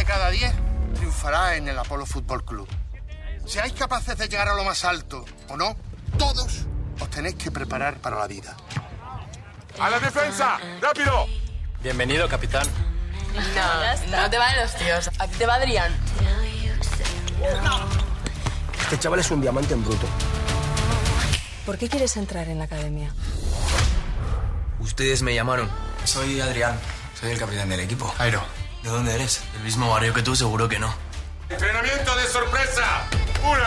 cada 10 triunfará en el Apolo Fútbol Club. Seáis capaces de llegar a lo más alto o no, todos os tenéis que preparar para la vida. ¡A la defensa! ¡Rápido! Bienvenido, capitán. No te valen los tíos. A ti te va Adrián. Este chaval es un diamante en bruto. ¿Por qué quieres entrar en la academia? Ustedes me llamaron. Soy Adrián. Soy el capitán del equipo. Jairo. ¿De dónde eres? ¿El mismo barrio que tú? Seguro que no. ¡Entrenamiento de sorpresa! 1,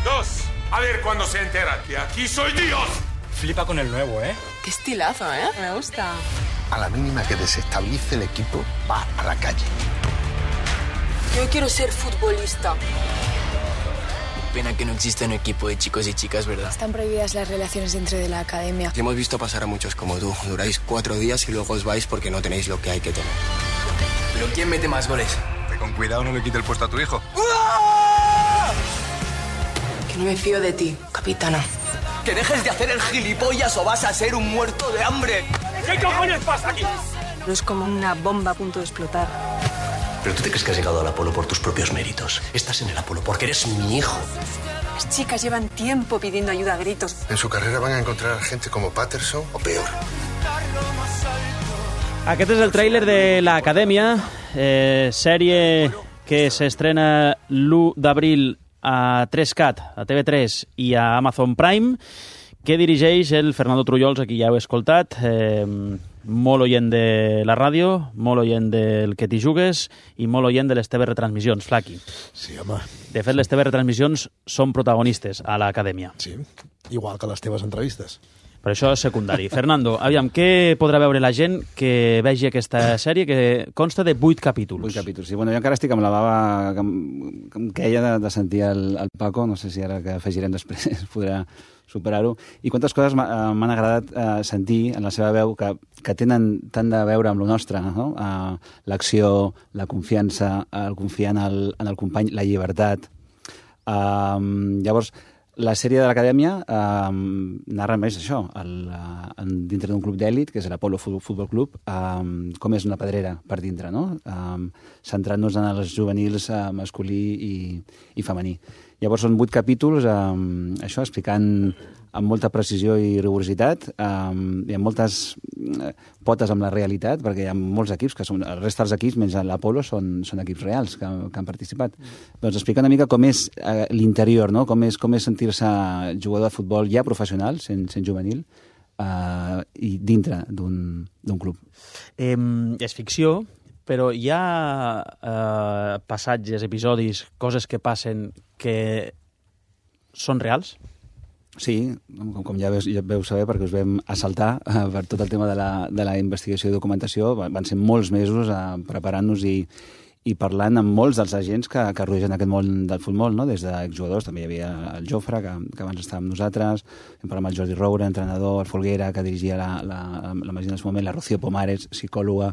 2. A ver cuándo se enteran que aquí soy Dios. Flipa con el nuevo, ¿eh? Qué estilazo, ¿eh? Me gusta. A la mínima que desestabilice el equipo, va a la calle. Yo quiero ser futbolista. Pena que no existe un equipo de chicos y chicas, ¿verdad? Están prohibidas las relaciones dentro de la academia. Hemos visto pasar a muchos como tú. Duráis 4 días y luego os vais porque no tenéis lo que hay que tener. ¿Pero quién mete más goles? Que con cuidado no le quite el puesto a tu hijo. Que no me fío de ti, capitana. ¡Que dejes de hacer el gilipollas o vas a ser un muerto de hambre! ¿Qué cojones pasa aquí? No es como una bomba a punto de explotar. Pero tú te crees que has llegado al Apolo por tus propios méritos. Estás en el Apolo porque eres mi hijo. Las chicas llevan tiempo pidiendo ayuda a gritos. En su carrera van a encontrar gente como Patterson o peor. Aquest és el tràiler de l'Acadèmia, sèrie que s'estrena l'1 d'abril a 3CAT, a TV3 i a Amazon Prime, que dirigeix el Fernando Trullols, aquí ja heu escoltat, molt oient de la ràdio, molt oient del que t'hi jugues i molt oient de les teves retransmissions, Flaqui. Sí, home. De fet, les teves retransmissions són protagonistes a l'Acadèmia. Sí, igual que les teves entrevistes. Per això és secundari. Fernando, aviam, què podrà veure la gent que vegi aquesta sèrie que consta de 8 capítols? 8 capítols, sí. Bueno, jo encara estic amb la bava que em queia de sentir el Paco, no sé si ara que afegirem després podrà superar-ho. I quantes coses m'han agradat sentir en la seva veu que tenen tant de veure amb lo nostre, no? L'acció, la confiança, el confiar en el company, la llibertat. Llavors, la sèrie de l'Acadèmia narra més això, dintre d'un club d'èlit, que és l'Apolo Futbol Club, com és una pedrera per dintre, no? Centrant-nos en els juvenils masculí i femení. Llavors són 8 capítols, això, explicant amb molta precisió i rigorositat, i amb moltes potes amb la realitat, perquè hi ha molts equips, que són, el resta dels equips, menys l'Apolo, són equips reals que han participat. Doncs explica una mica com és l'interior, no? Com és sentir-se jugador de futbol ja professional, sent juvenil, i dintre d'un club. És ficció, però hi ha passatges, episodis, coses que passen que són reals? Sí, com ja veu saber, perquè us vam assaltar per tot el tema de la investigació i documentació. Van ser molts mesos preparant-nos i parlant amb molts dels agents que rodegen aquest món del futbol, no? Des d'exjugadors, també hi havia el Jofre, que abans estava amb nosaltres, hem parlat amb el Jordi Roura, entrenador, el Folguera, que dirigia la Magina en el moment, la Rocío Pomares, psicòloga.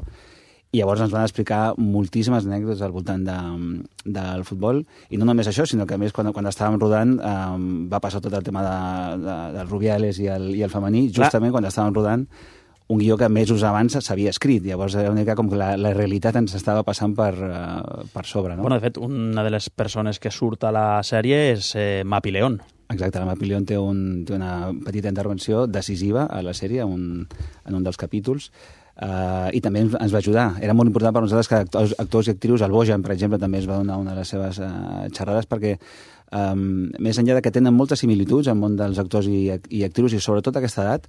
I llavors ens van explicar moltíssimes anècdotes al voltant del futbol, i no només això, sinó que a més quan estàvem rodant va passar tot el tema del Rubiales i el femení, justament quan estàvem rodant un guió que mesos abans s'havia escrit. Llavors era una mica com que la realitat ens estava passant per sobre, no? Bueno, de fet, una de les persones que surt a la sèrie és Mapi León. Exacte, la Mapi León té una petita intervenció decisiva a la sèrie en un dels capítols. I també ens va ajudar. Era molt important per nosaltres que actors i actrius, el Bojan, per exemple, també es va donar una de les seves xerrades, perquè més enllà de que tenen moltes similituds al món dels actors i actrius, i sobretot a aquesta edat,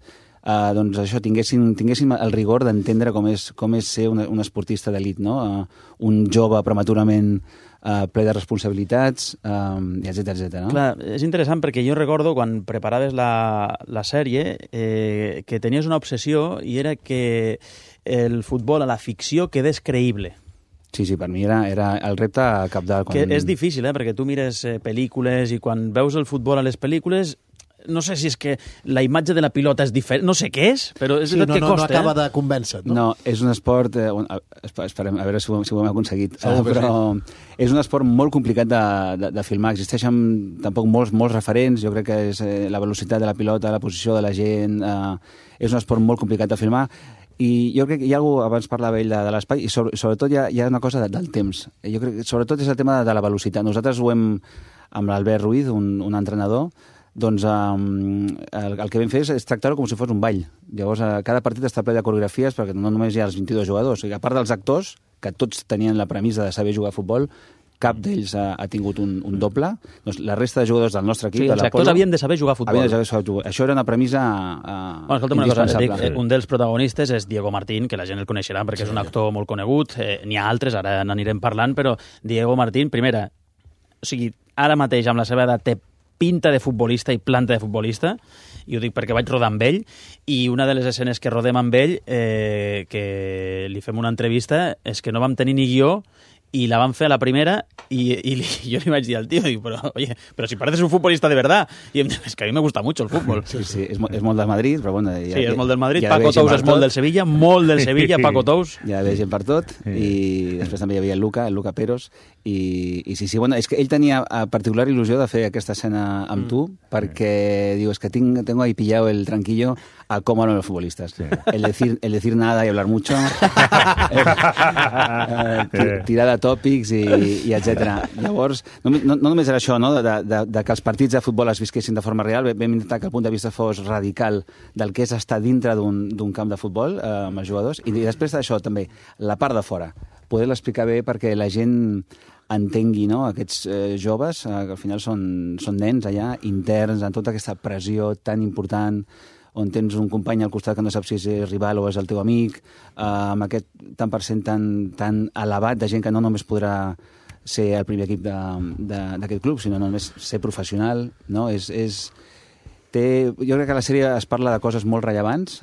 doncs això, tinguéssim el rigor d'entendre com és ser un esportista d'elit, no? Un jove prematurament ple de responsabilitats, etcètera, no? Clar, és interessant perquè jo recordo quan preparaves la sèrie que tenies una obsessió i era que el futbol a la ficció quedés creïble. Sí, per mi era el repte cabdal. Que és difícil, perquè tu mires pel·lícules i quan veus el futbol a les pel·lícules no sé si és que la imatge de la pilota és diferent, no sé què és, però és veritat que costa. No acaba de convèncer, no? No, és un esport, esperem a veure si ho hem aconseguit, però és un esport molt complicat de filmar, existeixen tampoc molts referents, jo crec que és la velocitat de la pilota, la posició de la gent, és un esport molt complicat de filmar, I jo crec que hi ha algú, abans parlava ell de l'espai, i sobretot hi ha una cosa del temps. Jo crec que sobretot és el tema de la velocitat. Nosaltres ho hem, amb l'Albert Ruiz, un entrenador, doncs el que vam fer és tractar-ho com si fos un ball. Llavors, cada partit està ple de coreografies, perquè no només hi ha els 22 jugadors. A part dels actors, que tots tenien la premissa de saber jugar a futbol, cap d'ells ha tingut un doble. Doncs la resta de jugadors del nostre equip... Sí, els actors havien de saber jugar a futbol. Això era una premissa indispensable. Un dels protagonistes és Diego Martín, que la gent el coneixerà perquè és un actor molt conegut. N'hi ha altres, ara n'anirem parlant, però Diego Martín, primera, o sigui, ara mateix amb la seva edat té pinta de futbolista i planta de futbolista, i ho dic perquè vaig rodar amb ell, i una de les escenes que rodem amb ell, que li fem una entrevista, és que no vam tenir ni guió, i la van fer a la primera, i jo li vaig dir al tío, dic, però si pareces un futbolista de verdad, i em diu, és que a mi me gusta mucho el fútbol. Sí, és molt del Madrid, però bueno... Sí, és molt del Madrid, Paco Tous és molt del Sevilla, molt del Sevilla, Paco Tous. Hi havia gent per tot, i després també hi havia el Luca Peros, i sí, bueno, és que ell tenia particular il·lusió de fer aquesta escena amb tu, perquè diu, és que tengo ahí pillado el tranquillo a cómo hablan los futbolistas. Sí. El decir nada y hablar mucho, tirar de tòpics i etc. Llavors, no només era això, no? de que els partits de futbol es visquessin de forma real, vam intentar que el punt de vista fos radical del que és estar dintre d'un camp de futbol amb els jugadors, i després d'això també, la part de fora, poder-la explicar bé perquè la gent entengui, no? Aquests joves, que al final són nens allà, interns, en tota aquesta pressió tan important, on tens un company al costat que no saps si és rival o és el teu amic, amb aquest tant per cent tan elevat de gent que no només podrà ser el primer equip d'aquest club, sinó només ser professional, no? Jo crec que a la sèrie es parla de coses molt rellevants.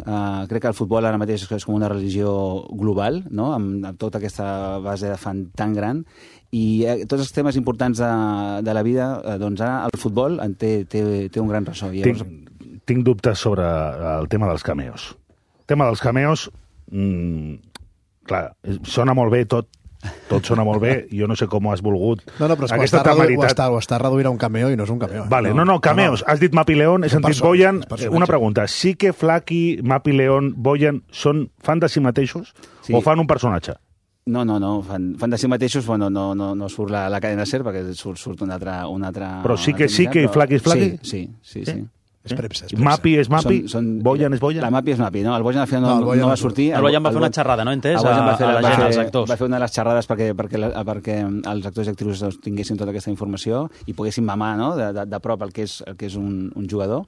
Crec que el futbol ara mateix és com una religió global, no? Amb tota aquesta base de fan tan gran, i tots els temes importants de la vida, doncs ara el futbol té un gran ressò. Tinc dubtes sobre el tema dels cameos. El tema dels cameos, clar, sona molt bé tot sona molt bé, jo no sé com has volgut aquesta temeritat. Ho està reduint a un cameo i no és un cameo. Vale, no, cameos. Has dit Mapi León, he sentit Boyan. Una pregunta, sí que Flaky, Mapi León, Boyan fan de si mateixos o fan un personatge? No, fan de si mateixos, bueno, no surt la cadena SER perquè surt un altre... Però sí que Flaky és Flaky? Sí. És premsa. Mapi és Mapi? Boyan és Boyan? La Mapi és Mapi, no? El Boyan al final no va sortir. El Boyan va fer una xerrada, no? Entès? Als actors. Va fer una de les xerrades perquè els actors i actrius tinguessin tota aquesta informació i poguessin mamar, no?, de prop el que és un jugador.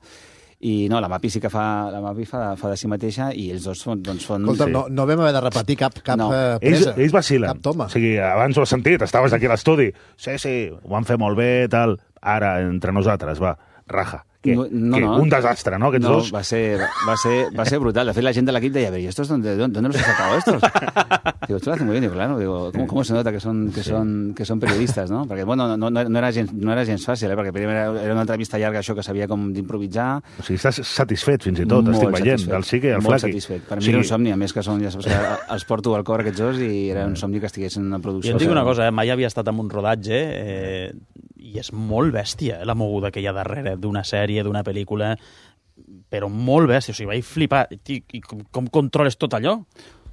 I no, la Mapi sí que fa de si mateixa, i ells dos fan... Escolta, no vam haver de repetir cap presa. Ells vacilen. Cap toma. O sigui, abans ho has sentit, estaves aquí a l'estudi. Sí, ho van fer molt bé, tal. Ara, entre nosaltres, va, raja. Un desastre, ¿no? No, va ser brutal. De fet, la gent de l'equip deia, ¿y estos dónde los has sacado estos? Digo, esto lo hacen muy bien. Digo, claro, ¿cómo se nota que son periodistas, no? Perquè, bueno, no era gens fàcil, perquè primer era una entrevista llarga, això que sabia com d'improvisar. O sigui, estàs satisfet fins i tot, estic veient, del Sique i el Flaky. Molt satisfet. Per mi era un somni, a més que ja saps que els porto al cor aquests dos, i era un somni que estiguessin en una producció. Jo et dic una cosa, mai havia estat en un rodatge, i és molt bèstia, la moguda que hi ha darrere d'una sèrie, d'una pel·lícula, però molt bèstia. O sigui, vaig flipar. I com controles tot allò?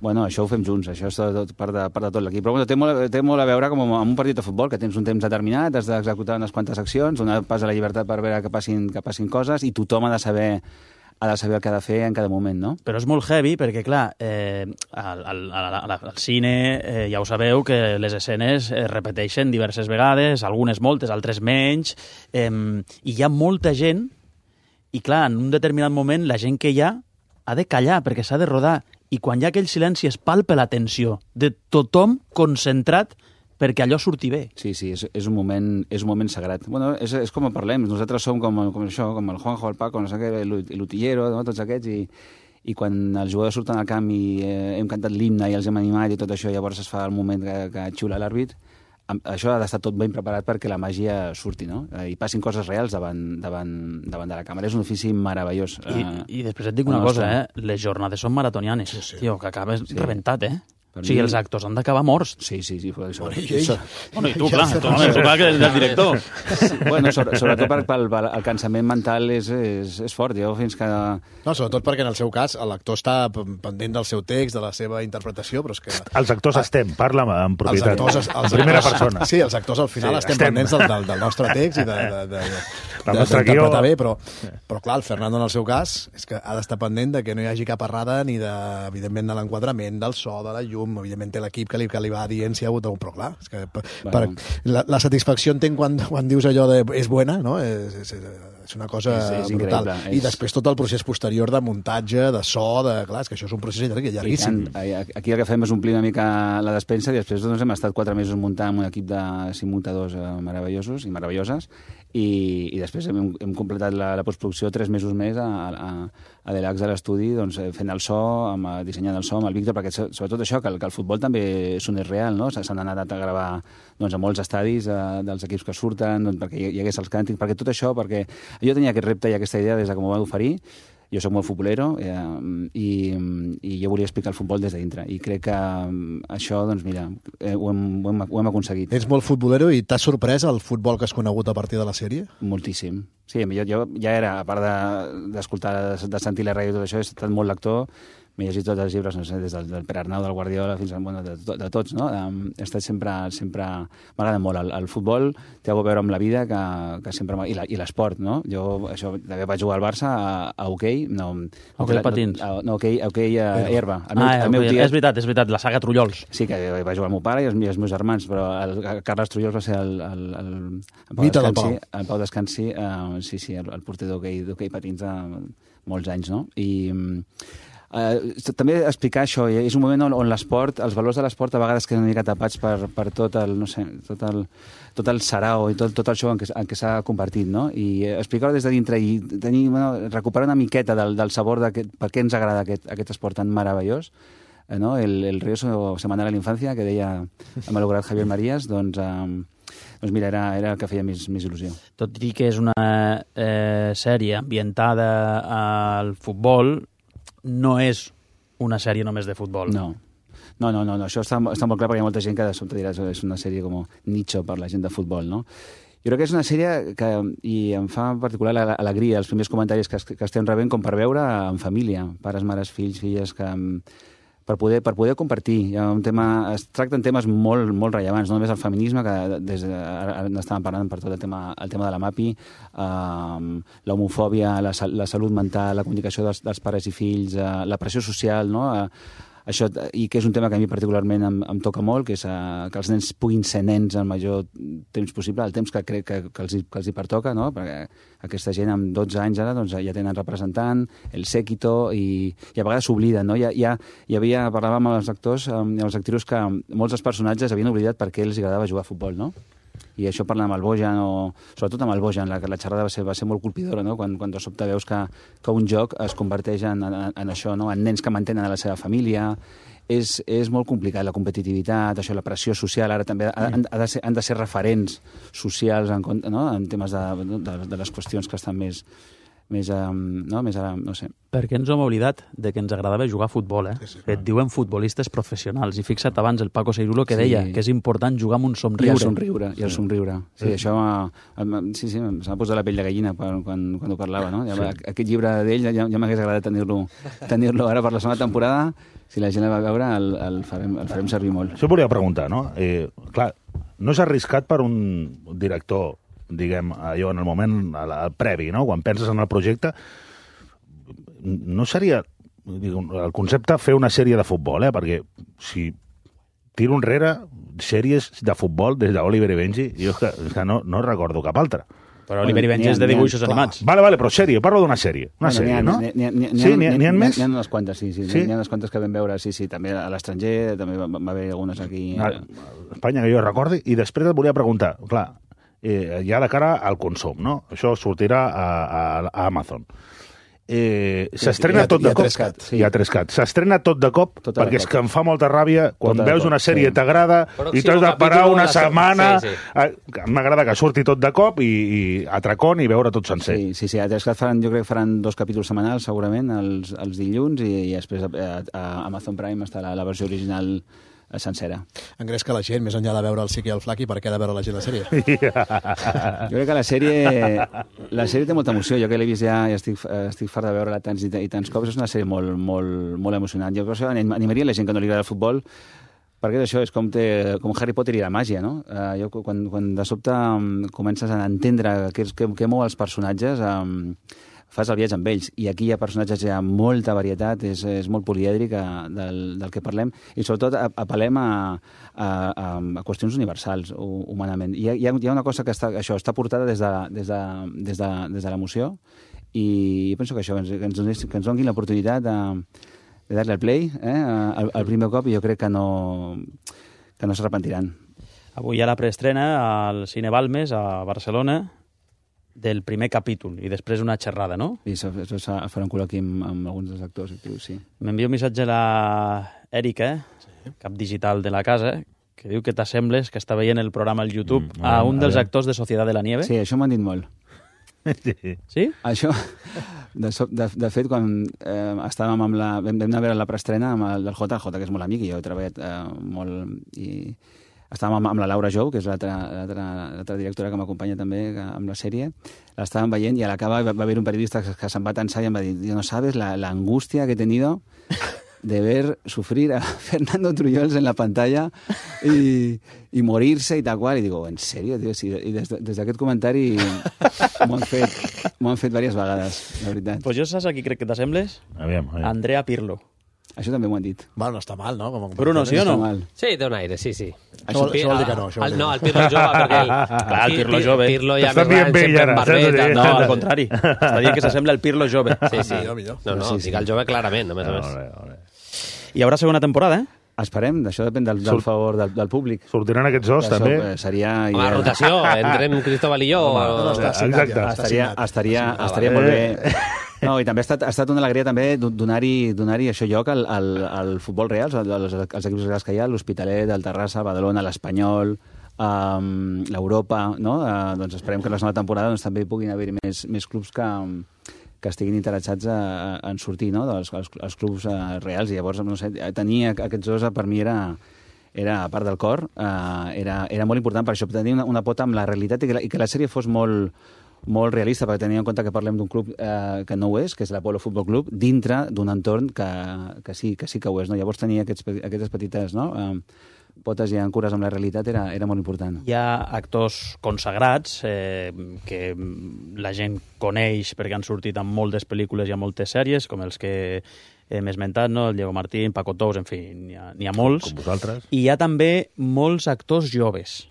Bueno, això ho fem junts, això és part de tot l'equip. Però bueno, té molt a veure com amb un partit de futbol, que tens un temps determinat, has d'executar unes quantes accions, donar pas a la llibertat per veure que passin coses, i tothom ha de saber el que ha de fer en cada moment, no? Però és molt heavy perquè, clar, al cine ja ho sabeu que les escenes es repeteixen diverses vegades, algunes moltes, altres menys, i hi ha molta gent, i clar, en un determinat moment la gent que hi ha de callar perquè s'ha de rodar, i quan hi ha aquell silenci es palpa la tensió de tothom concentrat perquè allò surti bé. Sí, és un moment sagrat. Bueno, és com parlem, nosaltres som com això, com el Juanjo, el Paco, no sé què, l'Utillero, no? Tots aquests, i quan els jugadors surten al camp i hem cantat l'himne i els hem animat i tot això, llavors es fa el moment que xiula l'àrbit, això ha d'estar tot ben preparat perquè la màgia surti, no? I passin coses reals davant de la càmera. És un ofici meravellós. I després et dic una cosa, les jornades són maratonianes. Tio, que acabes rebentat, O sigui, els actors han d'acabar morts. Sí. Bueno, i tu, clar, que és el director. Bueno, sobretot perquè el cansament mental és fort. Jo fins que... No, sobretot perquè en el seu cas l'actor està pendent del seu text, de la seva interpretació, però és que... Els actors parla en propietat, en primera persona. Sí, els actors al final estem pendents del nostre text i d'interpretar bé, però clar, el Fernando en el seu cas és que ha d'estar pendent de que no hi hagi cap errada ni evidentment de l'enquadrament, del so, de la llum, evidentment té l'equip que li va dient si hi ha hagut un... Però clar, és que la satisfacció entenc quan dius allò de és buena, no? És una cosa brutal. I després tot el procés posterior de muntatge, de so, clar, és que això és un procés llarguíssim. Aquí el que fem és omplir una mica la despensa i després hem estat 4 mesos muntant un equip de 5 muntadors meravellosos i meravelloses i després hem completat la postproducció 3 mesos més a Delax a l'estudi, doncs, fent el so, dissenyant el so amb el Víctor, perquè sobretot això, que el futbol també sonés real, no? S'han anat a gravar a molts estadis dels equips que surten, perquè hi hagués els càntics, perquè tot això, perquè jo tenia aquest repte i aquesta idea des de que m'ho van oferir. Jo soc molt futbolero i jo volia explicar el futbol des de dintre. I crec que això, doncs mira, ho hem aconseguit. Ets molt futbolero i t'ha sorprès el futbol que has conegut a partir de la sèrie? Moltíssim. Sí, jo ja era, a part d'escoltar, de sentir la ràdio i tot això, he estat molt lector. M'he llegit tots els llibres, no sé, des del Pere Arnau, del Guardiola, fins de tots, no? He estat sempre... M'agrada molt. El futbol té a veure amb la vida que sempre... I l'esport, no? Jo també vaig jugar al Barça a hoquei... Hoquei patins. No, hoquei a herba. És veritat, la saga Trullols. Sí, que va jugar el meu pare i els meus germans, però el Carles Trullols va ser el Pau Descansi, el porter d'hoquei patins molts anys, no? I... també explicar això, és un moment on l'esport, els valors de l'esport a vegades queden una mica tapats per tot el, no sé, tot el sarau i tot el show en què s'ha convertit, no? I explicar-ho des de dintre i recuperar una miqueta del sabor de per què ens agrada aquest esport tan meravellós, no? El río semanal a l'infància, que deia el malograt Javier Marías, doncs mira, era el que feia més il·lusió. Tot i que és una sèrie ambientada al futbol, no és una sèrie només de futbol. No, això està molt clar perquè hi ha molta gent que de sobte dirà que és una sèrie com nicho per la gent de futbol, no? Jo crec que és una sèrie que, i em fa en particular alegria, els primers comentaris que estem rebent com per veure en família, pares, mares, fills, filles, que per poder compartir. Es tracten temes molt, molt rellevants, no només el feminisme, que ara n'estàvem parlant per tot el tema de la MAPI, l'homofòbia, la salut mental, la comunicació dels pares i fills, la pressió social, no? Això, i que és un tema que a mi particularment em toca molt, que és que els nens puguin ser nens el major temps possible, el temps que crec que els hi pertoca, no? Perquè aquesta gent amb 12 anys ara doncs, ja tenen representant, el séquito, i a vegades s'obliden, no? Parlàvem amb els actors i els actrius que molts dels personatges havien oblidat per què els agradava jugar a futbol, no? I això parlant amb el Bojan, sobretot amb el Bojan, la xerrada va ser molt colpidora, no? Quan de sobte veus que un joc es converteix en això, no? En nens que mantenen a la seva família. És molt complicat, la competitivitat, això, la pressió social, ara també han de ser referents socials en temes de les qüestions que estan més no sé. Perquè ens hem oblidat de que ens agradava jugar a futbol, Sí, et diuen futbolistes professionals. I fixa't abans el Paco Seirulo que deia que és important jugar amb un somriure. I el somriure. Sí, això s'ha posat la pell de gallina quan ho parlava, no? Aquest llibre d'ell ja m'hagués agradat tenir-lo ara per la segona temporada. Si la gent la va veure, el farem servir molt. Això volia preguntar, no? Clar, no és arriscat per un director, diguem, allò en el moment previ, no? Quan penses en el projecte, no seria el concepte fer una sèrie de futbol, perquè si tiro enrere sèries de futbol des d'Oliver i Benji, jo és que no recordo cap altra. Però Oliver i Benji és de dibuixos animats. Vale, però sèrie, parlo d'una sèrie. Una sèrie, no? N'hi ha més? N'hi ha unes quantes, sí. N'hi ha unes quantes que vam veure, sí. També a l'estranger, també va haver algunes aquí. A Espanya, que jo recordi. I després et volia preguntar, clar, ja de cara al consum, no? Això sortirà a Amazon. s'estrena tot de cop. Hi ha 3CAT. S'estrena tot de cop, perquè és que em fa molta ràbia quan veus una sèrie t'agrada i t'has de parar una setmana. M'agrada que surti tot de cop i atracón i veure tot sencer. Sí, a 3CAT jo crec que faran 2 capítols setmanals, segurament, els dilluns, i després a Amazon Prime està la versió original sencera. Engresca la gent, més enllà de veure el Siqui i el Flaqui, per què ha de veure la gent la sèrie? Jo crec que la sèrie té molta emoció. Jo que l'he vist ja i estic fart de veure-la tants i tants cops. És una sèrie molt, molt, molt emocionant. Jo per això animaria la gent que no li agrada el futbol, perquè això és com Harry Potter i la màgia, no? Quan de sobte comences a entendre què mou els personatges, fas el viatge amb ells, i aquí hi ha personatges, hi ha molta varietat, és molt polièdric del que parlem, i sobretot apel·lem a qüestions universals, humanament. Hi ha una cosa que està portada des de l'emoció, i penso que això, que ens donin l'oportunitat de dar-li al play el primer cop, i jo crec que no s'arrepentiran. Avui hi ha la preestrena al Cine Balmes, a Barcelona, del primer capítol, i després una xerrada, no? I això farà un col·loqui amb alguns dels actors, sí. M'envia un missatge a l'Èrica, cap digital de la casa, que diu que t'assembles que està veient el programa al YouTube a un dels actors de Sociedad de la Nieve. Sí, això m'han dit molt. Sí? Això, de fet, quan estàvem vam anar a veure la preestrena amb el JJ, que és molt amic, i jo he treballat molt, i estàvem amb la Laura Jou, que és l'altra directora que m'acompanya també amb la sèrie. L'estàvem veient i a l'acabar va haver un periodista que se'n va tensar i em va dir: no sabes la angustia que he tenido de ver sufrir a Fernando Trullols en la pantalla y morirse y tal cual. I digo, ¿en serio, tío? Sí, i des d'aquest comentari m'ho han fet diverses vegades, la veritat. Pues jo saps a qui crec que t'assembles? Aviam. Andrea Pirlo. Això també m'ho han dit. Bueno, no està mal, no? Bruno, sí o no? Sí, té un aire, sí. Això vol dir que no. No, el Pirlo jove, perquè... Clar, el Pirlo jove. Pirlo ja més gran, sempre amb barbeta. No, al contrari. Està dient que s'assembla al Pirlo jove. Sí. No, dic el jove clarament, a més a més. Hi haurà segona temporada, Esperem, això depèn del favor del públic. Sortiran aquests dos, també? Seria... Home, rotació, entrem Cristóbal i jo. Estaria molt bé. No, i també ha estat una alegria també donar-hi això lloc al futbol real, als equips reals que hi ha, l'Hospitalet, el Terrassa, el Badalona, l'Espanyol, l'Europa, no? Doncs esperem que la segona temporada també hi puguin haver més clubs que estiguin interessats en sortir, no?, dels clubs reals. I llavors, no sé, tenir aquests dos per mi era a part del cor, era molt important per això, tenir una pota amb la realitat i que la sèrie fos molt realista, perquè tenia en compte que parlem d'un club que no ho és, que és l'Apolo Futbol Club, dintre d'un entorn que sí que ho és, no? Llavors tenir aquestes petites, no?, potes i ancores amb la realitat era molt important. Hi ha actors consagrats que la gent coneix perquè han sortit en moltes pel·lícules i en moltes sèries, com els que hem esmentat, no? El Diego Martín, Paco Tous, en fi, n'hi ha molts. Com vosaltres. I hi ha també molts actors joves.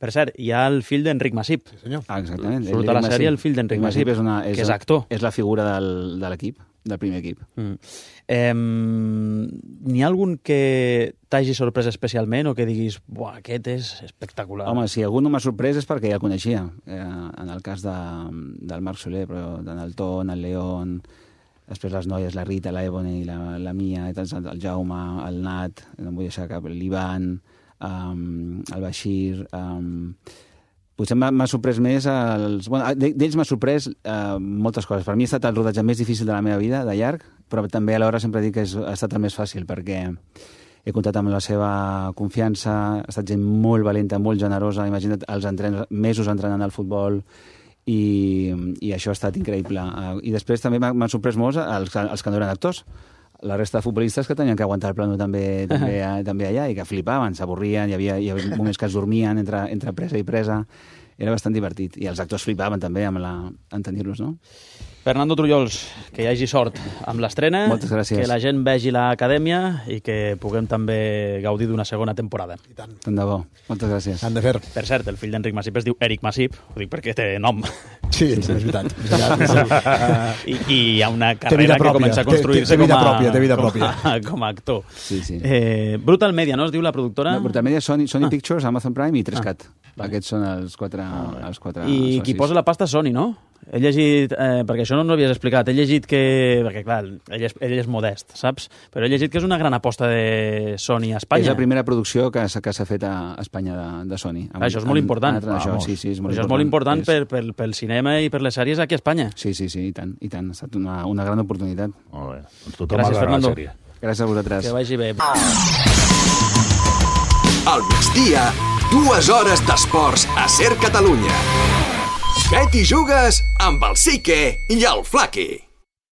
Per cert, hi ha el fill d'Enric Masip. Sí, senyor. Exactament. Surt a la sèrie el fill d'Enric Masip, que és actor. És la figura de l'equip, del primer equip. N'hi ha algun que t'hagi sorprès especialment o que diguis, buah, aquest és espectacular? Home, si algú no m'ha sorprès és perquè ja el coneixia. En el cas del Marc Soler, però en el Ton, el León, després les noies, la Rita, la Ebony, la Mia, el Jaume, el Nat, no em vull deixar cap, l'Ivan, el Bashir... Potser m'ha sorprès més... D'ells m'ha sorprès moltes coses. Per mi ha estat el rodatge més difícil de la meva vida, de llarg, però també alhora sempre dic que ha estat el més fàcil, perquè he comptat amb la seva confiança, ha estat gent molt valenta, molt generosa, imagina't mesos entrenant al futbol, i això ha estat increïble. I després també m'han sorprès molt els que no eren actors. La resta de futbolistes que tenien que aguantar el plano també allà i que flipaven, s'avorrien, hi havia moments que es dormien entre presa i presa. Era bastant divertit. I els actors flipaven també en tenir-los, no? Fernando Trullols, que hi hagi sort amb l'estrena. Moltes gràcies. Que la gent vegi l'acadèmia i que puguem també gaudir d'una segona temporada. I tant. Tant de bo. Moltes gràcies. Han de fer. Per cert, el fill d'Enric Masip es diu Eric Masip, ho dic perquè té nom. Sí, és veritat. I hi ha una carrera que comença a construir-se com a actor. Sí. Brutal Media, no es diu la productora? No, Brutal Media, Sony Pictures, Amazon Prime i 3CAT. Aquests són els quatre I qui posa la pasta és Sony, no? he llegit, perquè això no ens ho havies explicat, he llegit que, perquè clar, ell és modest, saps? Però he llegit que és una gran aposta de Sony a Espanya. És la primera producció que s'ha fet a Espanya de Sony. Això és molt important. Això és molt important pel cinema i per les sèries aquí a Espanya. Sí, i tant. Ha estat una gran oportunitat. Molt bé. Tothom gràcies, Fernando. Gràcies a vosaltres. Que vagi bé. Al migdia, 2 hores d'esports a Ser Catalunya. Bet i jugues amb el Sique i el Flaqui.